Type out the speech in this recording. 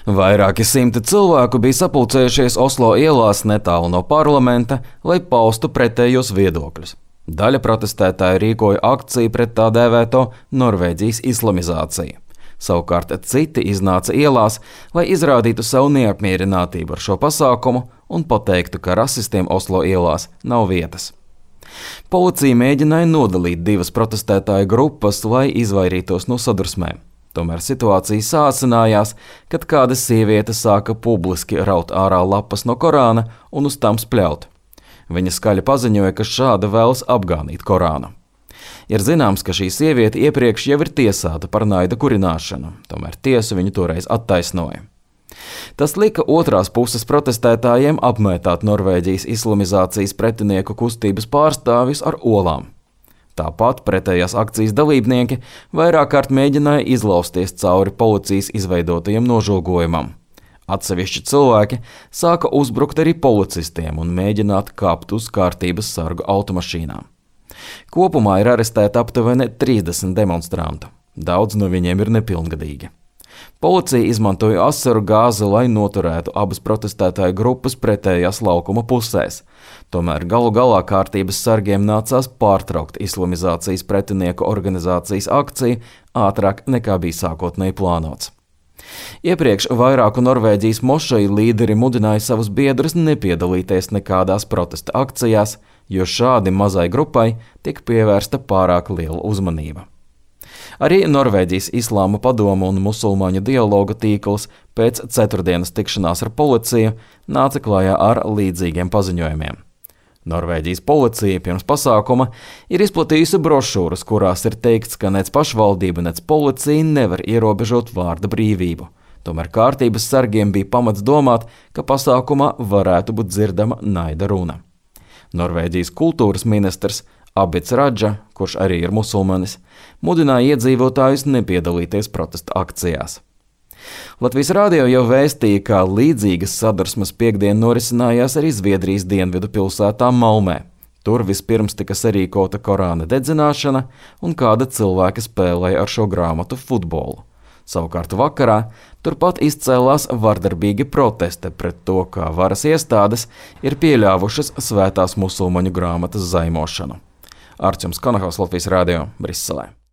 Vairāki simti cilvēku bija sapulcējušies Oslo ielās netālu no parlamenta, lai paustu pretējos viedokļus. Daļa protestētāju rīkoja akciju pret tā dēvēto Norvēģijas islamizāciju. Savukārt citi iznāca ielās, lai izrādītu savu neapmierinātību ar šo pasākumu un pateiktu, ka rasistiem Oslo ielās nav vietas. Policija mēģināja nodalīt divas protestētāju grupas, lai izvairītos no sadursmēm. Tomēr situācija sāsinājās, kad kāda sieviete sāka publiski raut ārā lapas no Korāna un uz tām spļaut. Viņa skaļi paziņoja, ka šāda vēlas apgānīt Korānu. Ir zināms, ka šī sieviete iepriekš jau ir tiesāta par naida kurināšanu, tomēr tiesu viņu toreiz attaisnoja. Tas lika otrās puses protestētājiem apmētāt Norvēģijas islamizācijas pretinieku kustības pārstāvjus ar olām. Tāpat pretējās akcijas dalībnieki vairāk kārt mēģināja izlausties cauri policijas izveidotajam nožogojumam. Atsevišķi cilvēki sāka uzbrukt arī policistiem un mēģināt kāpt uz kārtības sargu automašīnām. Kopumā ir arestēti aptuveni 30 demonstrantu. Daudz no viņiem ir nepilngadīgi. Policija izmantoja asaru gāzi, lai noturētu abas protestētāju grupas pretējās laukuma pusēs. Tomēr galu galā kārtības sargiem nācās pārtraukt islamizācijas pretinieku organizācijas akciju ātrāk nekā bija sākotnēji plānots. Iepriekš vairāku Norvēģijas mošeju līderi mudināja savus biedrus nepiedalīties nekādās protesta akcijās, jo šādi mazai grupai tika pievērsta pārāk liela uzmanība. Arī Norvēģijas Islāma padoma un musulmaņu dialoga tīkls pēc ceturtdienas tikšanās ar policiju nāca klajā ar līdzīgiem paziņojumiem. Norvēģijas policija pirms pasākuma ir izplatījusi brošūras, kurās ir teikts, ka nec pašvaldība, nec policija nevar ierobežot vārda brīvību. Tomēr kārtības sargiem bija pamats domāt, ka pasākumā varētu būt dzirdama naida runa. Norvēģijas kultūras ministrs Abits Radža, kurš arī ir musulmanis, mudināja iedzīvotājus nepiedalīties protesta akcijās. Latvijas radio jau vēstīja, ka līdzīgas sadursmes piektdien norisinājās arī Zviedrijas dienvidu pilsētā Malmē. Tur vispirms tika sarīkota Korāna dedzināšana un kāda cilvēka spēlēja ar šo grāmatu futbolu. Savukārt vakarā turpat izcēlās vardarbīgi protesti pret to, kā varas iestādes ir pieļāvušas svētās musulmaņu grāmatas zaimošanu. Arčuns Kanahaus, Latvijas radio, Briselē.